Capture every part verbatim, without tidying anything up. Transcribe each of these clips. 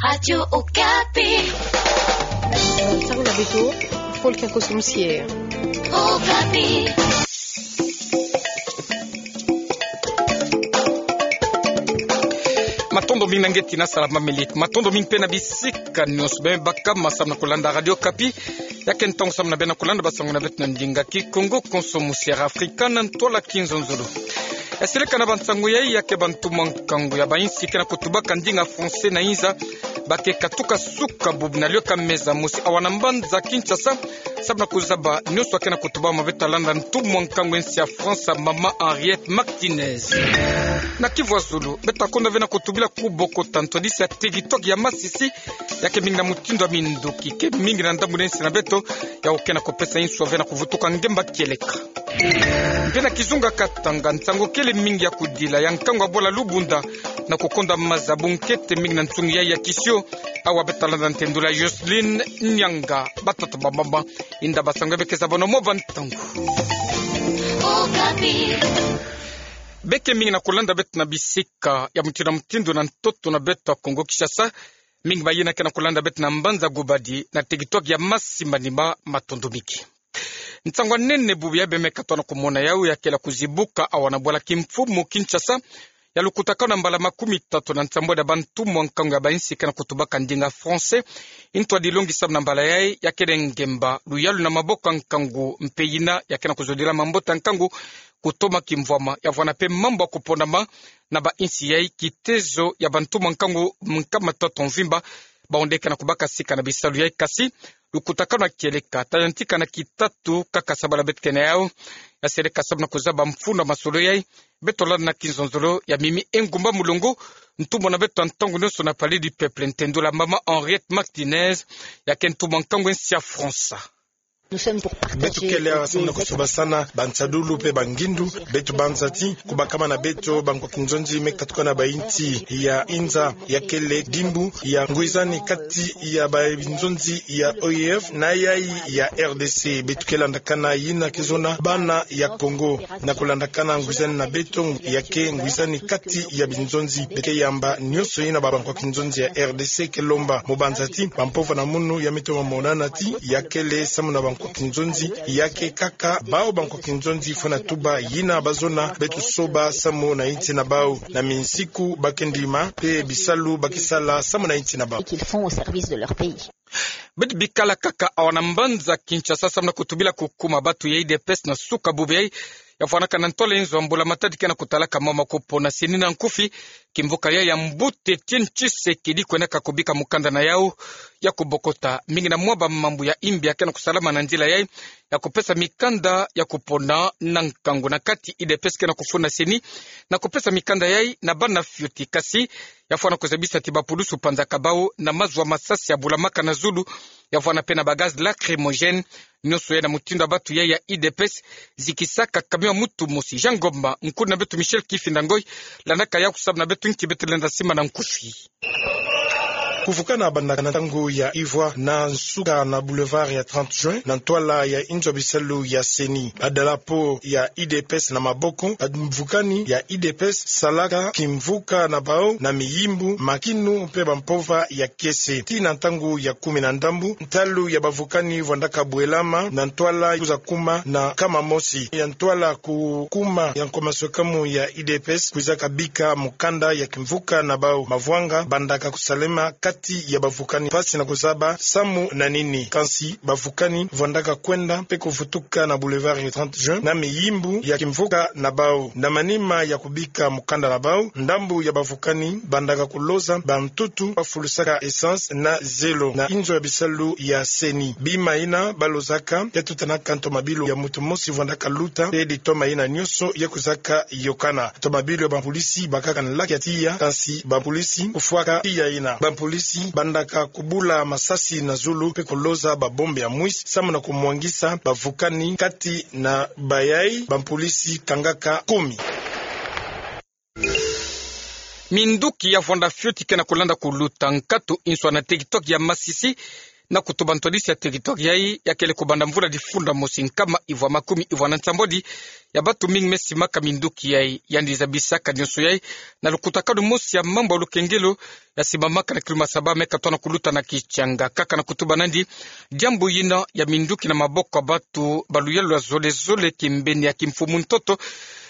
Radio Okapi. Ntangu na beto, Paul Kiakoso Musier. Okapi. Matondo mingi na nge tina salama miliki. Matondo mingi mpe na bisika nyonso beno baka ma samu na kulanda Radio Okapi. Ya ke ntangu samu na beno kulanda bansangu na beto na ndinga Kikongo, konso musier Afrika na ntwala Kinzonzolo. Ya seleka na bansangu yai, ya ke bantu mwa nkangu ya bainsi ke na kutubaka ndinga français na inza, ba ke katuka suka bubu na liyoka meza mosi awa na mbanza Kinshasa, samu na kuzaba nyonso ya ke na kutubama. Beto talanda ntu mwa nkangu ya insi ya France, Mama Henriette Martinez. Na Kivu ya Zulu, beto takonda ve na kutubila kubokota ntwadisi ya territoire ya Masisi, ya ke mingi na mutindu ya minduki ke mingi na ndambu na insi na beto, ya oke na kupesa insu ya ve na kuvutuka ngemba kieleka. Mpe na kizunga Katanga, nsangu kele mingi ya kudila ya nkangu ya bwala Lubunda na kukonda maza bunkete mingi na nsungi yai ya Kisio. Awa beto talanda ntendula Jocelyne Nyanga. Batata, bamama, inda bansangu ya be ke zabana mwa bantangu. Okapi. Be ke mingi na kulanda beto na bisika ya mutindu na mutindu na ntoto na beto ya Kongo Kinshasa. Mingi mayina ke na kulanda beto na mbanza Gubadi na territoire ya Masi-Manima, matondo mingi. Nsangu ya nene bubu yai beno me katoa na kumona yau, ya kele kuzibuka awa na bwala kimfumu Kinshasa, ya lukutakanu na mbala makumi tatu na nsambwadi ya bantu mwa nkangu ya bainsi ke na kutubaka ndinga français. Ntwadi longi samu na mbala yai, ya kele ngemba luyalu na maboko ya nkangu mpe yina ya ke na kuzodila mambote ya nkangu kutoma kimvwama, ya vwanda mpe mambu ya kuponama na bainsi yai. Kitezo ya bantu mwa nkangu nkama tatu mvimba, bawu nde ke na kubaka sika na bisalu yai, kasi lukutakanu ya kieleka ta yantika na kitatu kaka sabala beto ke na yau. Ya seleka samu na kuzaba mfunu ya masolo yai, beto landa na Kinzonzolo ya Mimi Engumba Mulongo, ntumwa na beto ya ntangu nyonso na Palais du Peuple, ntendula Mama Henriette Martinez, ya ke ntu mwa nkangu ya insi ya France. Beto kele awa samu na kusobasana bansadulu mpe bangindu. Beto banza ti kubakama na beto bankwa kinzonzi me katuka na bainsi ya inza, ya kele dimbu ya ngwizani kati ya babinzonzi ya O I F na yai ya R D C. Beto ke landakana yina ke zona bana ya Kongo. Na kulandakana ngwizani na beto, ya ke ngwizani kati ya binzonzi. Beto ke yamba nyonso yina bankwa kinzonzi ya R D C ke lomba, mu banza ti bampova na munu ya mito mamonana ti ya kele samu na bankwa kinzonzi, ya ke kaka bawu bankwa kinzonzi fwana tuba yina bazona. Beto soba samu na insi na bawu, na minsiku ba ke ndima mpe bisalu ba ke sala samu na insi na bawu. Beto bikala kaka awa na mbanza Kinshasa samu na kutubila kukuma batu ya U D P S na suka bubu yai, ya vwanaka na ntwala inzo ya mbula matadi ke na kutalaka mama kupona seni na nkufi. Kimvuka yai ya mbuta Etienne Tshisekedi kwenaka kubika mukanda na yau ya kubokota mingi na mwa bamambu ya imbi ya ke na kusalama na nzila yai, ya kupesa mikanda ya kupona na nkangu na kati U D P S ke na kufuna seni na kupesa mikanda yai na bana fioti, kasi ya vwana kuzabisa ti bapulusu panzaka bawu na mazu ya masasi ya bulamaka na zulu, ya vwana mpe na bagaz lacrymogène. Nyonso yai na mutindu ya batu yai ya U D P S zikisaka camion ya mutu mosi. Jean Ngomba, nkulu na beto Michel Kifinda Ngoy, landaka yau samu na beto nki beto lenda simbana nkufi. Kuvukana bandaka na ntangu ya ivwa na nsuka na boulevard ya trente juin, na ntwala ya inzo ya bisalu ya seni. Badalapo ya U D P S na maboko, bamvukani ya U D P S salaka kimvuka na bawu na miyimbu, makinu mpe bampova ya kiese. Tii na ntangu ya kumi na ndambu, ntalu ya bamvukani vwandaka bwelama na ntwala kwiza kuma na nkama mosi ya ntwala kukuma ya nkwa maswekamu ya U D P S kwizaka bika mukanda ya kimvuka na bawu. Mavwanga bandaka kusalema kati ya bamvukani, mpasi na kuzaba samu na nini. Kansi bamvukani vwandaka kwenda mpe kuvutuka na boulevard ya trente juin na miyimbu ya kimvuka na bawu. Na manima ya kubika mukanda na bawu, ndambu ya bamvukani bandaka kuloza bantutu bafulusaka essence na zelo na inzo ya bisalu ya seni. Bima yina balozaka ya tutanaka ntomabilu ya mutu mosi vwandaka luta, mpe ditoma yina nyonso ya kwizaka yokana. Ntomabilu ya bampolisi bakaka nlaki ya tiya, kansi bampolisi kufwaka tiya yina. Bampolisi bandaka kubula masasi na zulu mpe kuloza babombe ya mwisi samu na kumwangisa bamvukani kati na bayai bampolisi kangaka kumi. Minduki ya vwanda fioti ke na kulanda kuluta nkatu inswa na territoire ya Masisi, na kutuba ntwadisi ya territoire yai, ya kele kubanda mvula difunda mosi nkama ivwa makumi ivwa na nsambwadi ya batu mingi me simaka minduki yai. Yandi zabisaka nyonso yai na lukutakanu mosi ya mambu ya lukengelo ya simamaka na kilumbu saba me katona kuluta na Kitchanga. Kaka na kutuba nandi, diambu yina ya minduki na maboko ya batu ba luyalu lwa zolezole kimbeni ya kimfumu ntoto,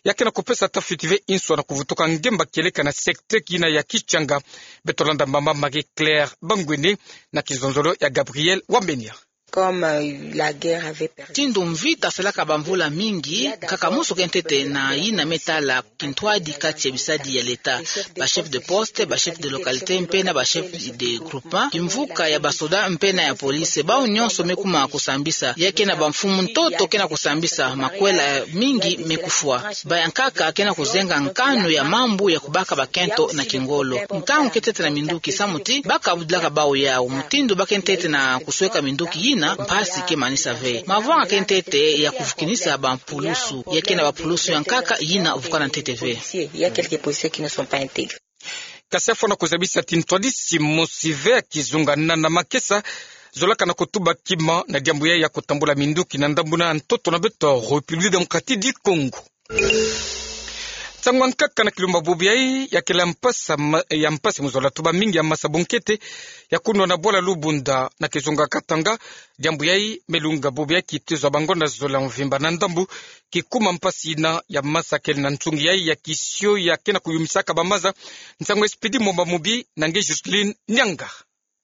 ya ke na kupesa tafiti ve inswa na kuvutuka ngemba kieleka na secteur yina ya Kitchanga. Beto landa mama Marie-Claire Bangwene na kizonzolo ya Gabriel Wamenia. Comme, euh, la guerre avait perdu. Mutindu mvita salaka bamvula mingi, nkaka mosi ke ntete na yina me tala kintwadi kati ya bisadi ya leta, ba chef de poste, ba chef de localité, mpe na ba chef de groupement, kimvuka ya basoda, mpe na ya police, bau nyonso me kuma kusambisa, ya ke na bamfumu ntoto ke na kusambisa, makwela mingi me kufwa. Ba ya nkaka ke na kuzenga nkanu ya mambu ya kubaka bakento na kingolo. Nkangu ke ntete na minduki samu ti ba kabudilaka bau yau, mutindu ba ke ntete na kusweka minduki yina, mpasi ke manisa ve. Mavanga ke ntete ya kuvukinisa bampulusu, ya ke na bampulusu ya nkaka yina vukana ntete ve. Il y a quelques policiers qui ne sont pas intégrés. Kasi afwana kuzabisa ti ntwadisi mosi ve ya kizunga na na makesa zolaka na kutuba kima na diambu yai ya kutambula minduki na ndambu na ntoto na beto République Démocratique du Congo. Nsangu ya nkaka na kilumbu bubu yai ya kele mpasi ma-, ya mpasi mu zola tuba mingi ya masa bunkete ya kunwa na bwala Lubunda na kizunga Katanga. Diambu yai me lunga bubu yai kitezo ya bangonda zola mvimba na ndambu kikuma mpasi yina ya masa kele na nsungi yai ya kisio ya ke na kuyumisaka bamaza. Nsangu ya Expédit Mwamba Mubi na nge Justine Nianga.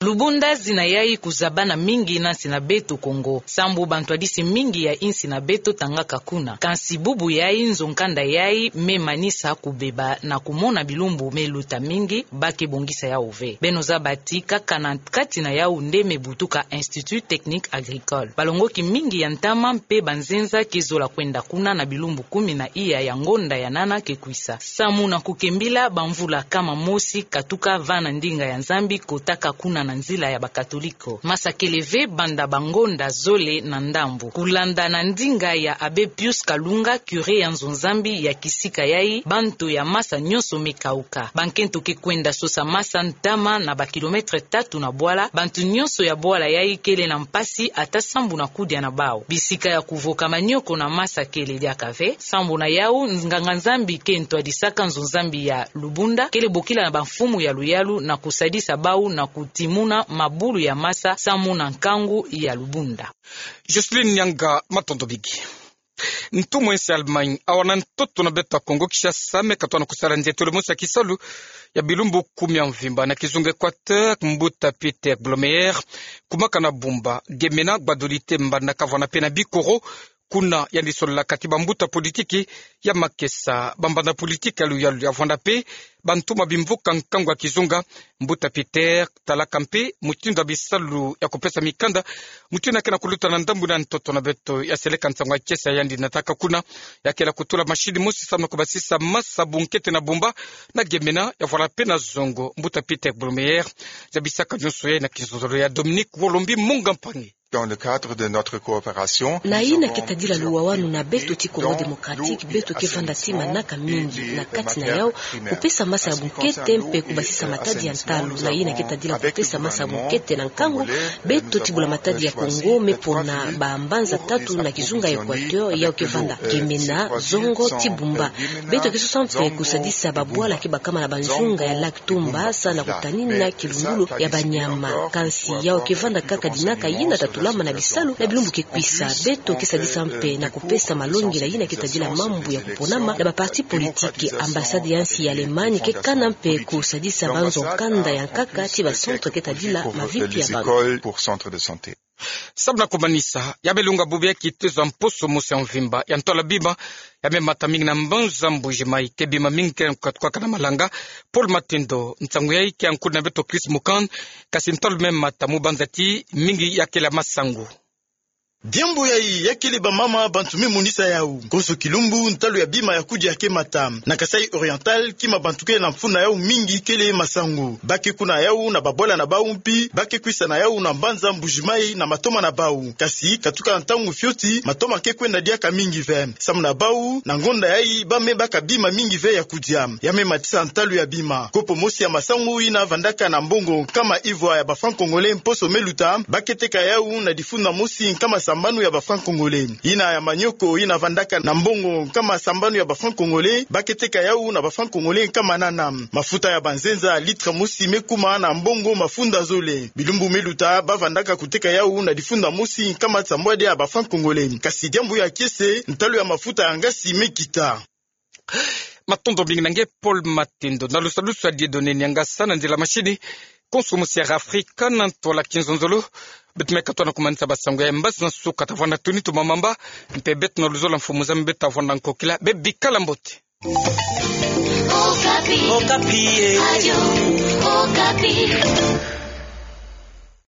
Lubunda zina yai kuzabana mingi na nsi na beto Kongo, sambu bantwadisi mingi ya insi na beto tangaka kuna. Kansi bubu yai nzo nkanda yai me manisa kubeba na kumona bilumbu me luta mingi, ba ke bongisa yau ve. Beno zaba ti kaka na kati na yau nde me butuka Institut Technique Agricole. Balongoki mingi ya ntama mpe banzenza ke zola kwenda kuna na bilumbu kumi na iya ya ngonda ya nana ke kwisa. Samu na kukembila bamvula kama mosi katuka va na ndinga ya Nzambi kotaka kuna na nzila ya bakatoliko. Masa kele ve banda bangonda zole na ndambu. Kulanda na ndinga ya Abbé Pius Kalunga, curé ya nzo Nzambi ya kisika yai, banto ya masa nyonso me kauka. Bankento ke kwenda sosa masa ntama na bakilomètre tatu na bwala, banto nyonso ya bwala yai kele na mpasi ata sambu na kudia na bau. Bisika ya kuvoka manioko na masa kele diaka ve. Sambu na yau, nganga-Nzambi ke ntwadisaka nzo Nzambi ya Lubunda kele bokila na bamfumu ya luyalu na kusadisa bau na kutimuna mabulu ya masa samu na nkangu ya Lubunda. Jocelyne Nianga, matondo mingi. Ntumwa ya insi Allemagne awa na ntoto na beto ya Kongo Kinshasa me katona kusala nzietolo mosi ya kisalu ya bilumbu kumi ya mvimba na kizunga Équateur, mbuta Peter Blomeyer kumaka na Bumba, Gemena, Gbadolite, Mbandaka, vwanda mpe na Bikoro. Kuna yandi sololaka ti bambuta politiki ya makesa, bambanda politiki ya luyalu, ya vwanda mpe bantuma bimvuka nkangu ya kizunga. Mbuta Peter talaka mpe mutindu ya bisalu ya kupesa mikanda, mutindu ya ke na kuluta na ndambu na ntoto na beto, ya seleka nsangu ya kiese ya yandi nataka kuna, ya kele kutula machine mosi samu na kubasisa masa bunkete na Bumba, na Gemena, ya vwala mpe na Zongo. Mbuta Peter Blomeyer zabisaka nyonso yai na kizonzolo ya Dominique Wolombi Munga Mpangi. Dans le cadre de notre coopération, na yina ke tadila luwawanu na beto ti Congo Démocratique, beto ke vanda ti manaka mingi, na kati na yau kupesa masa ya bunkete mpe kubasisa matadi ya ntalu. Na yina ke tadila kupesa masa ya bunkete na nkangu, beto ti bula matadi ya Congo me pona bambanza tatu na kizunga Équateur, yau ke vanda Gemena, Zongo ti Bumba. Beto ke sosa mpe kusadisa babwala ke bakama na banzunga ya lac Tumba, sa na kutanina kilungulu ya banyama. Kansi yau ke vanda kaka dinaka yina tatulama na bisalu na bilumbu ke kwisa. Beto ke sadisa mpe na kupesa malongi na yina ke tadila mambu ya kuponama na baparti politiki. Ambassade ya nsi ya Allemagne ke kana mpe kusadisa banzo nkanda ya nkaka ti bacentre ke tadila mavitu ya bantu. Samu na kumanisa, ya me lunga bubu ya kitezo ya mposo mosi ya mvimba ya ntwala bima ya me mata mingi na mbanza Mbuji-Mayi, ke bima mingi ke katuka na malanga. Paul Matendo, nsangu yai ke yankudi na beto Chris Mukand, kasi ntalu me mata mu banza ti mingi ya kele masangu. Diambu yayi ya kele bamama bantu me monisa yawu. Konso kilumbu, ntalu ya bima ya kudia ke mata. Na Kasaï Oriental, kima bantu ke na mfunu na yawu mingi kele masangu. Ba ke kuna yawu na babwala na bawu mpi, ba ke kwisa na yawu na mbanza Mbuji-Mayi na matoma na bawu. Kasi, katuka ntangu fioti, matoma ke kwenda diaka mingi ve. Samu na bawu, na ngonda yayi, ba me baka bima mingi ve ya kudia. Ya me matisa ntalu ya bima. Kopo mosi ya masangu yina vandaka na mbongo nkama ivwa ya ba francs congolais mposo me luta, ba ke teka yawu na difunda mosi nkama sambanu ya ba francs congolais. Yina ya manioko yina vandaka na mbongo nkama sambanu ya ba francs congolais, ba ke teka yawu na ba francs congolais nkama nana. Mafuta ya banzenza, litre mosi me kuma na mbongo mafunda zole. Bilumbu me luta, ba vandaka kuteka yawu na difunda mosi nkama sambwadi ya ba francs congolais. Kasi diambu ya kiese, ntalu ya mafuta ya ngasi me kita. Matondo mingi na nge Paul Matendo. Na lusalusu ya Dieudonné Niangasa, na nzila mashini, konso mosi ya Afrika na ntwala kinzonzolo. Beto me katoa na kumanisa basangu ya mbazi na nsuka. Tavwanda tuni tumamamba, mpe beto na luzolo mfumu zame beto tavwanda nkokila, be bikala mbote. Okapi. Okapi, eh. Radio Okapi.